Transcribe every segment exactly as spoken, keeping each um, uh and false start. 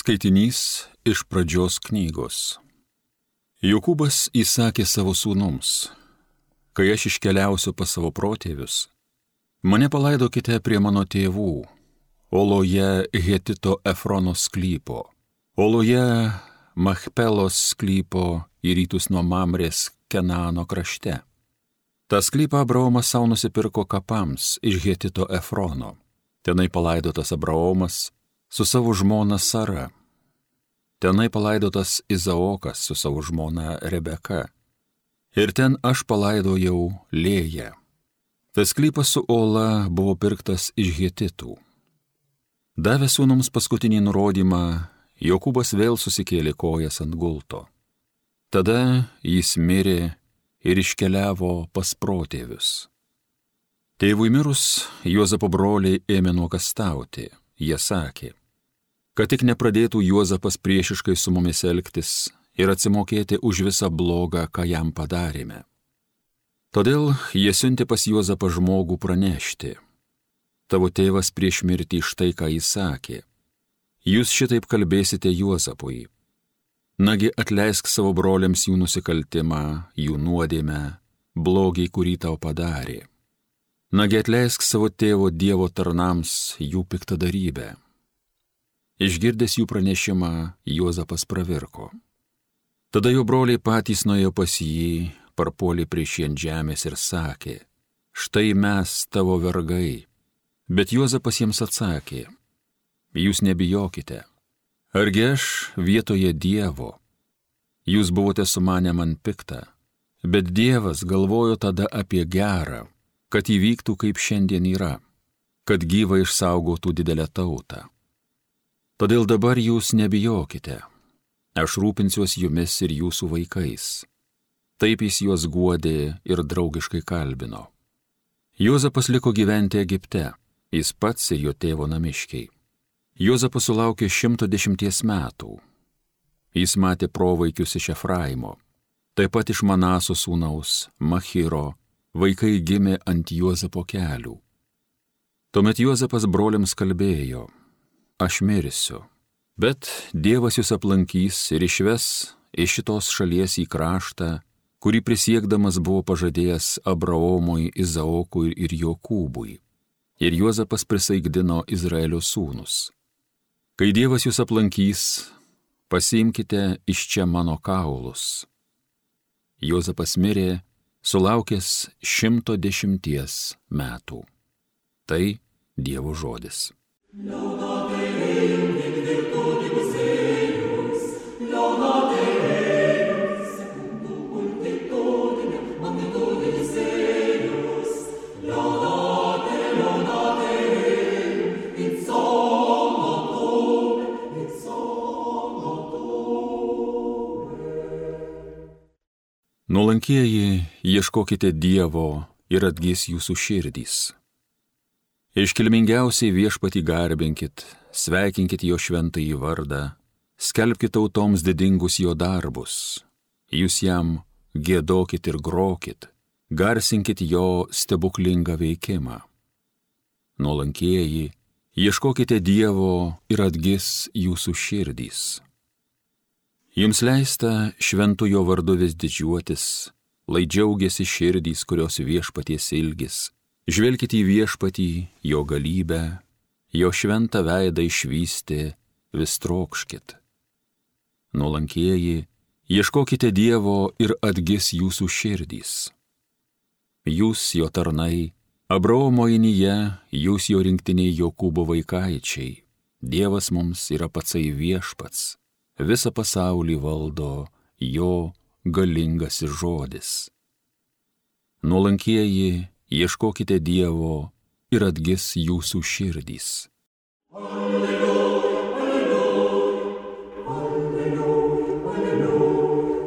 Skaitinys iš pradžios knygos. Jokūbas įsakė savo sūnums: kai aš iškeliausiu pas savo protėvius, mane palaidokite prie mano tėvų, oloje Hetito Efrono sklypo, oloje Machpelos sklypo į rytus nuo Mamrės Kenano krašte. Ta sklypą Abraomas savo nusipirko kapams iš Hetito Efrono. Tenai palaidotas Abraomas su savo žmona Sara. Tenai palaidotas Izaokas su savo žmona Rebeka. Ir ten aš palaidojau Lėją. Tas sklypas su ola buvo pirktas iš Hetitų. Davė sūnums paskutinį nurodymą, Jokūbas vėl susikėlė kojas ant gulto. Tada jis mirė ir iškeliavo pas protėvius. Tėvui mirus, Juozapo broliai ėmė nuogąstauti. Jie sakė, kad tik nepradėtų Juozapas priešiškai su mumis elgtis ir atsimokėti už visą blogą, ką jam padarėme. Todėl jie siuntė pas Juozapą žmogų pranešti: tavo tėvas prieš mirtį štai ką jis sakė. Jūs šitaip kalbėsite Juozapui: nagi atleisk savo broliams jų nusikaltimą, jų nuodėmę, blogį, kurį tau padarė. Nagi atleisk savo tėvo Dievo tarnams jų piktadarybę. Išgirdęs jų pranešimą, Juozapas pravirko. Tada jo broliai patys nuėjo pas jį, parpuolė prieš jį ant žemės ir sakė: štai mes tavo vergai. Bet Juozapas jiems atsakė: jūs nebijokite. Argi aš vietoje Dievo? Jūs buvote sumanę man piktą, bet Dievas galvojo tada apie gerą, kad įvyktų kaip šiandien yra, kad gyvą išsaugotų didelę tautą. Todėl dabar jūs nebijokite, aš rūpinsiuos jumis ir jūsų vaikais. Taip jis juos guodė ir draugiškai kalbino. Juozapas liko gyventi Egipte, jis pats ir jo tėvo namiškiai. Juozapas sulaukė šimto dešimties metų. Jis matė provaikius iš Efraimo, taip pat iš Manaso sūnaus Machiro. Vaikai gimė ant Juozapo kelių. Tuomet Juozapas broliams kalbėjo: aš mirsiu, bet Dievas jūs aplankys ir išves iš šitos šalies į kraštą, kurį prisiekdamas buvo pažadėjęs Abraomui, Izaokui ir Jokūbui. Ir Juozapas prisaikdino Izraelio sūnus: kai Dievas jūs aplankys, pasiimkite iš čia mano kaulus. Juozapas mirė, sulaukęs šimto dešimties metų. Tai Dievo žodis. Nuolankieji, ieškokite Dievo ir atgis jūsų širdys. Iškilmingiausiai viešpatį garbinkit, sveikinkit jo šventąjį vardą, skelbkit tautoms didingus jo darbus. Jūs jam giedokit ir grokit, garsinkit jo stebuklingą veikimą. Nuolankieji, ieškokite Dievo ir atgis jūsų širdys. Jums leista šventu jo vardu vis didžiuotis, lai džiaugiasi širdys, kurios viešpaties ilgis. Žvelkite į viešpatį, jo galybę, jo šventą veidą išvysti, vis trokškit. Nuolankieji, ieškokite Dievo ir atgis jūsų širdys. Jūs jo tarnai, Abraomo inyje, jūs jo rinktiniai Jokūbo vaikaičiai. Dievas mums yra patsai viešpats. Visą pasaulį valdo jo galingasis žodis. Nuolankieji, ieškokite Dievo ir atgis jūsų širdys. Alleluja, alleluja, alleluja, alleluja.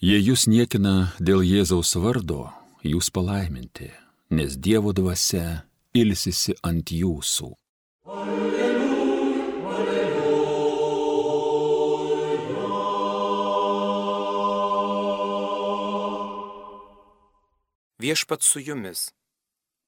Jei jūs niekina dėl Jėzaus vardo, jūs palaiminti, nes Dievo dvasia ilsisi ant jūsų. Viešpats su jumis.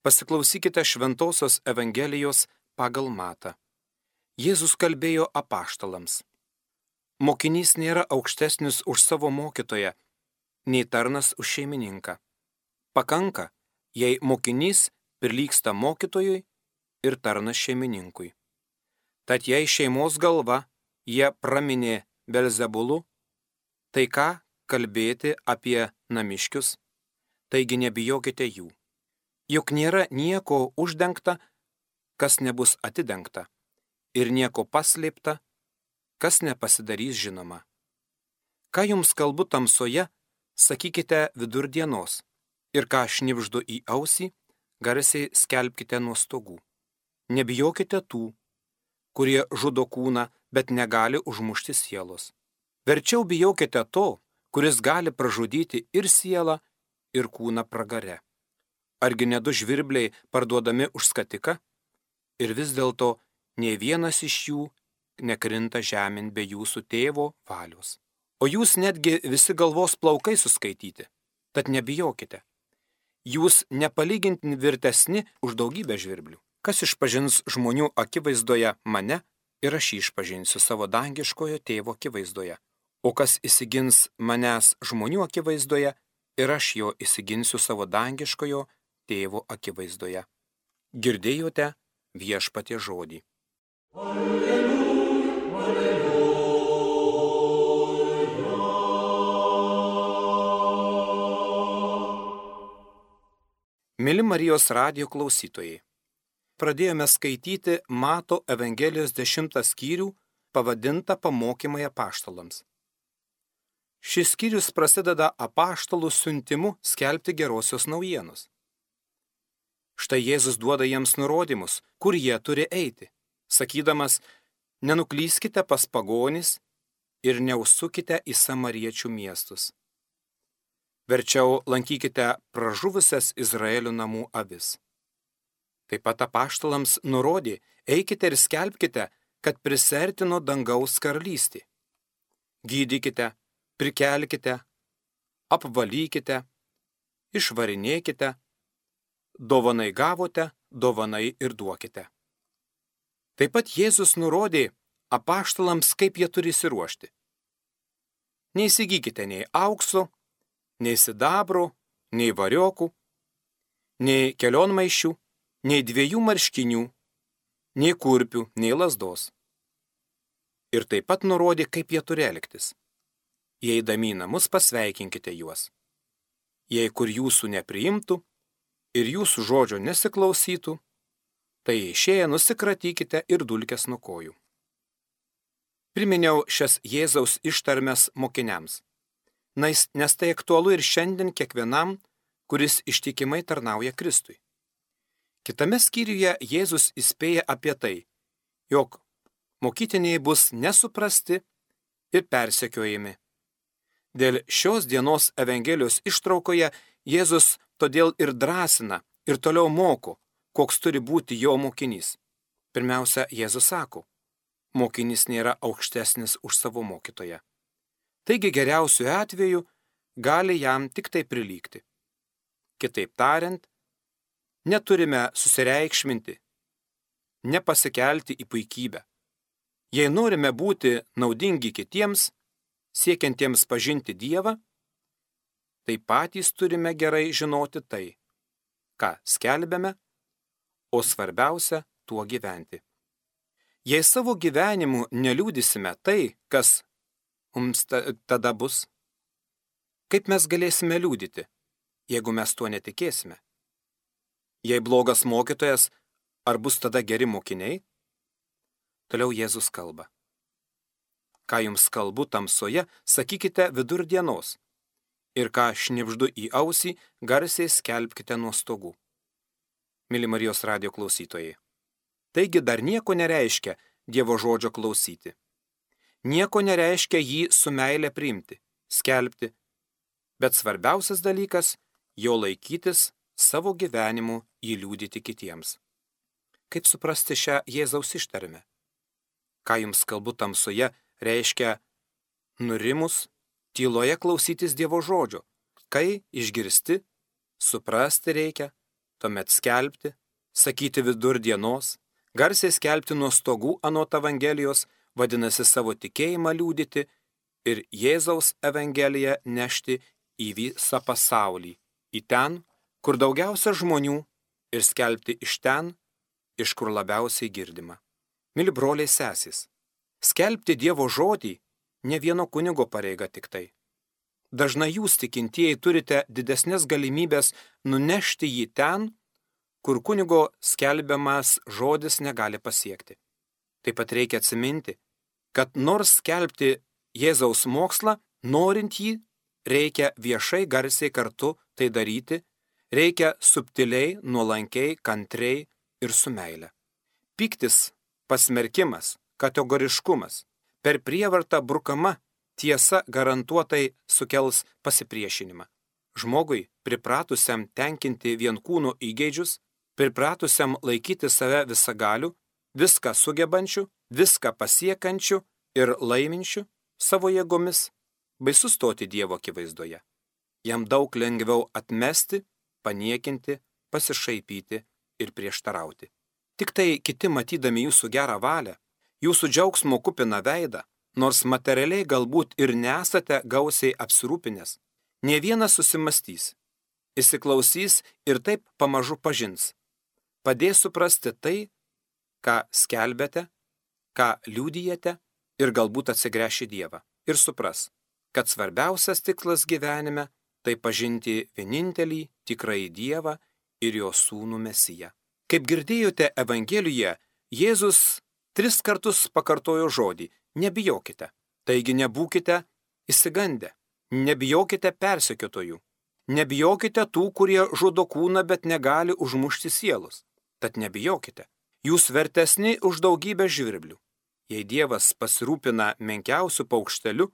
Pasiklausykite Šventosios Evangelijos pagal Matą. Jėzus kalbėjo apaštalams. Mokinys nėra aukštesnis už savo mokytoją, nei tarnas už šeimininką. Pakanka, jei mokinys prilygsta mokytojui ir tarnas šeimininkui. Tad jei šeimos galva jie praminė Belzebulu, tai ką kalbėti apie namiškius? Taigi nebijokite jų. Juk nėra nieko uždengta, kas nebus atidengta, ir nieko paslėpta, kas nepasidarys žinoma. Ką jums kalbu tamsoje, sakykite vidurdienos, ir ką šnibždu į ausį, garsiai skelbkite nuo stogų. Nebijokite tų, kurie žudo kūną, bet negali užmušti sielos. Verčiau bijokite to, kuris gali pražudyti ir sielą, ir kūną pragare. Argi ne du žvirbliai parduodami už skatiką? Ir vis dėlto nė vienas iš jų nekrinta žemėn be jūsų tėvo valios. O jūs netgi visi galvos plaukai suskaityti, tad nebijokite. Jūs nepalyginti virtesni už daugybę žvirblių. Kas išpažins žmonių akivaizdoje mane, ir aš jį išpažinsiu savo dangiškojo tėvo akivaizdoje. O kas įsigins manęs žmonių akivaizdoje, ir aš jo įsiginsiu savo dangiškojo tėvo akivaizdoje. Girdėjote viešpaties žodį. Alleluja, alleluja. Mili Marijos radijo klausytojai, pradėjome skaityti Mato Evangelijos dešimtą skyrių, pavadintą Pamokymai apaštalams. Šis skyrius prasideda apaštalų siuntimu skelbti gerosios naujienos. Štai Jėzus duoda jiems nurodymus, kur jie turi eiti, sakydamas, nenuklyskite pas pagonis ir neužsukite į samariečių miestus. Verčiau lankykite pražuvusias Izraelio namų avis. Taip pat apaštalams nurodė, eikite ir skelbkite, kad prisertino dangaus karalystė. Gydykite, prikelkite, apvalykite, išvarinėkite, dovanai gavote, dovanai ir duokite. Taip pat Jėzus nurodė apaštalams, kaip jie turi įsiruošti. Neįsigykite nei aukso, nei sidabro, nei variokų, nei kelionmaišių, nei dviejų marškinių, nei kurpių, nei lazdos. Ir taip pat nurodė, kaip jie turi elgtis. Jei eidami į namus, pasveikinkite juos. Jei kur jūsų nepriimtų ir jūsų žodžio nesiklausytų, tai išėję nusikratykite ir dulkes nuo kojų. Priminiau šias Jėzaus ištarmes mokiniams, nes tai aktualu ir šiandien kiekvienam, kuris ištikimai tarnauja Kristui. Kitame skyriuje Jėzus įspėja apie tai, jog mokytiniai bus nesuprasti ir persekiojami. Dėl šios dienos Evangelijos ištraukoje Jėzus todėl ir drąsina ir toliau moko, koks turi būti jo mokinys. Pirmiausia, Jėzus sako, mokinys nėra aukštesnis už savo mokytoją. Taigi geriausiu atveju gali jam tik tai prilygti. Kitaip tariant, neturime susireikšminti, nepasikelti į puikybę. Jei norime būti naudingi kitiems, siekiantiems pažinti Dievą, tai patys turime gerai žinoti tai, ką skelbėme, o svarbiausia tuo gyventi. Jei savo gyvenimu neliūdysime tai, kas mums tada bus, kaip mes galėsime liūdyti, jeigu mes tuo netikėsime? Jei blogas mokytojas, ar bus tada geri mokiniai? Toliau Jėzus kalba. Ką jums kalbu tamsoje, sakykite vidurdienos, ir ką šnibždu į ausį, garsiai skelbkite nuo stogų. Mili Marijos radijo klausytojai, taigi dar nieko nereiškia Dievo žodžio klausyti. Nieko nereiškia jį su meile priimti, skelbti, bet svarbiausias dalykas – jo laikytis, savo gyvenimu įliūdyti kitiems. Kaip suprasti šią Jėzaus ištarmę? Ką jums kalbu tamsoje, reiškia nurimus, tyloje klausytis Dievo žodžio. Kai išgirsti, suprasti reikia, tuomet skelbti, sakyti vidurdienos, Garsiai skelbti nuo stogų anot Evangelijos vadinasi savo tikėjimą liudyti ir Jėzaus Evangeliją nešti į visą pasaulį, į ten, kur daugiausia žmonių, ir skelbti iš ten, iš kur labiausiai girdima. Mili broliai sesės, skelbti Dievo žodį ne vieno kunigo pareiga tik tai. Dažnai jūs tikintieji turite didesnės galimybės nunešti jį ten, kur kunigo skelbiamas žodis negali pasiekti. Taip pat reikia atsiminti, kad nors skelbti Jėzaus mokslą, norint jį, reikia viešai garsiai kartu tai daryti, reikia subtiliai, nuolankiai, kantriai ir su meile. Pyktis, pasmerkimas, kategoriškumas, per prievartą brukama tiesa garantuotai sukels pasipriešinimą. Žmogui, pripratusiam tenkinti vienkūno įgeidžius, pripratusiam laikyti save visagaliu, viską sugebančiu, viską pasiekančiu ir laiminčiu savo jėgomis, baisu stoti Dievo akivaizdoje. Jam daug lengviau atmesti, paniekinti, pasišaipyti ir prieštarauti. Tik tai kiti matydami jūsų gerą valią, jūsų džiaugsmo kupiną veidą, nors materialiai galbūt ir nesate gausiai apsirūpinęs, ne vienas susimastys, įsiklausys ir taip pamažu pažins. Padės suprasti tai, ką skelbėte, ką liudijate ir galbūt atsigręš į Dievą ir supras, kad svarbiausias tikslas gyvenime tai pažinti vienintelį tikrąjį Dievą ir jo sūnų Mesiją. Kaip girdėjote Evangelijoje, Jėzus tris kartus pakartojo žodį nebijokite. Taigi nebūkite išsigandę, nebijokite persekiotojų, nebijokite tų, kurie žudo kūną, bet negali užmušti sielos. Tad nebijokite, jūs vertesni už daugybę žvirblių. Jei Dievas pasirūpina menkiausių paukštelių,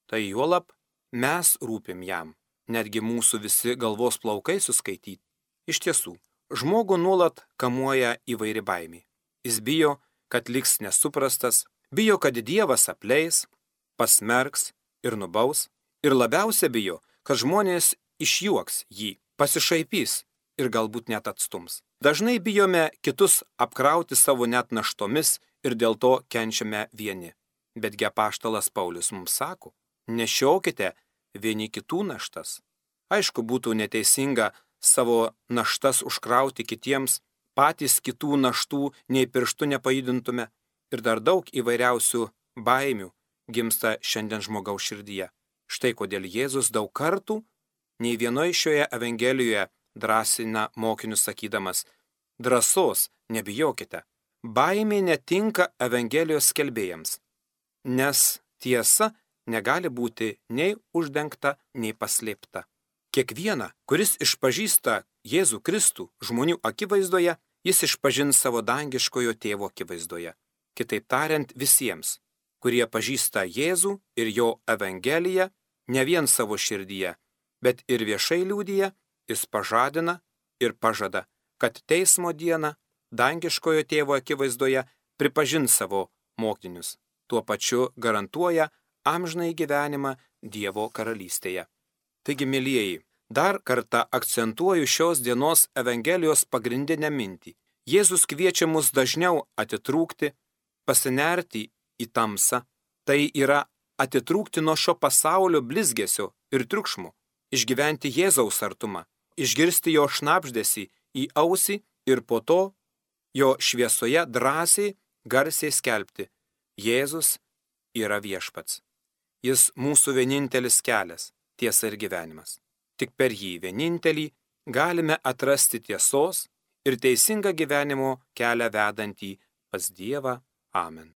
tai juolab mes rūpim jam, netgi mūsų visi galvos plaukai suskaityti. Iš tiesų, žmogų nuolat kamuoja įvairi baimė. Jis bijo, kad liks nesuprastas, bijo, kad Dievas apleis, pasmerks ir nubaus, ir labiausia bijo, kad žmonės išjuoks jį, pasišaipys ir galbūt net atstums. Dažnai bijome kitus apkrauti savo net naštomis ir dėl to kenčiame vieni. Betgi apaštalas Paulius mums sako, nešiokite vieni kitų naštas. Aišku, būtų neteisinga savo naštas užkrauti kitiems, patys kitų naštų nei pirštų nepajudintume ir dar daug įvairiausių baimių gimsta šiandien žmogaus širdyje. Štai kodėl Jėzus daug kartų nei vienoje šioje Evangelijoje drąsina mokinius sakydamas, drąsos nebijokite. Baimė netinka Evangelijos skelbėjams, nes tiesa negali būti nei uždengta, nei paslėpta. Kiekviena, kuris išpažįsta Jėzų Kristų žmonių akivaizdoje, jis išpažins savo dangiškojo tėvo akivaizdoje. Kitaip tariant, visiems, kurie pažįsta Jėzų ir jo Evangeliją, ne vien savo širdyje, bet ir viešai liudija, jis pažadina ir pažada, kad teismo dieną dangiškojo tėvo akivaizdoje pripažins savo mokinius. Tuo pačiu garantuoja amžinąjį gyvenimą Dievo karalystėje. Taigi, mielieji, dar kartą akcentuoju šios dienos Evangelijos pagrindinę mintį. Jėzus kviečia mus dažniau atitrūkti, pasinerti į tamsą, tai yra atitrūkti nuo šio pasaulio blizgesio ir triukšmo, išgyventi Jėzaus artumą, išgirsti jo šnabždesį į ausį ir po to jo šviesoje drąsiai, garsiai skelbti, Jėzus yra viešpats. Jis mūsų vienintelis kelias, tiesa ir gyvenimas. Tik per jį vienintelį galime atrasti tiesos ir teisingą gyvenimo kelią vedantį pas Dievą. Amen.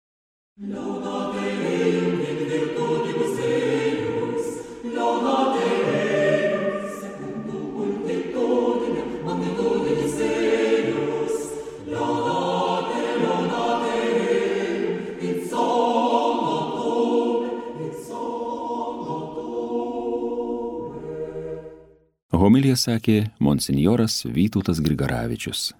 Homiliją sakė monsinjoras Vytautas Grigaravičius.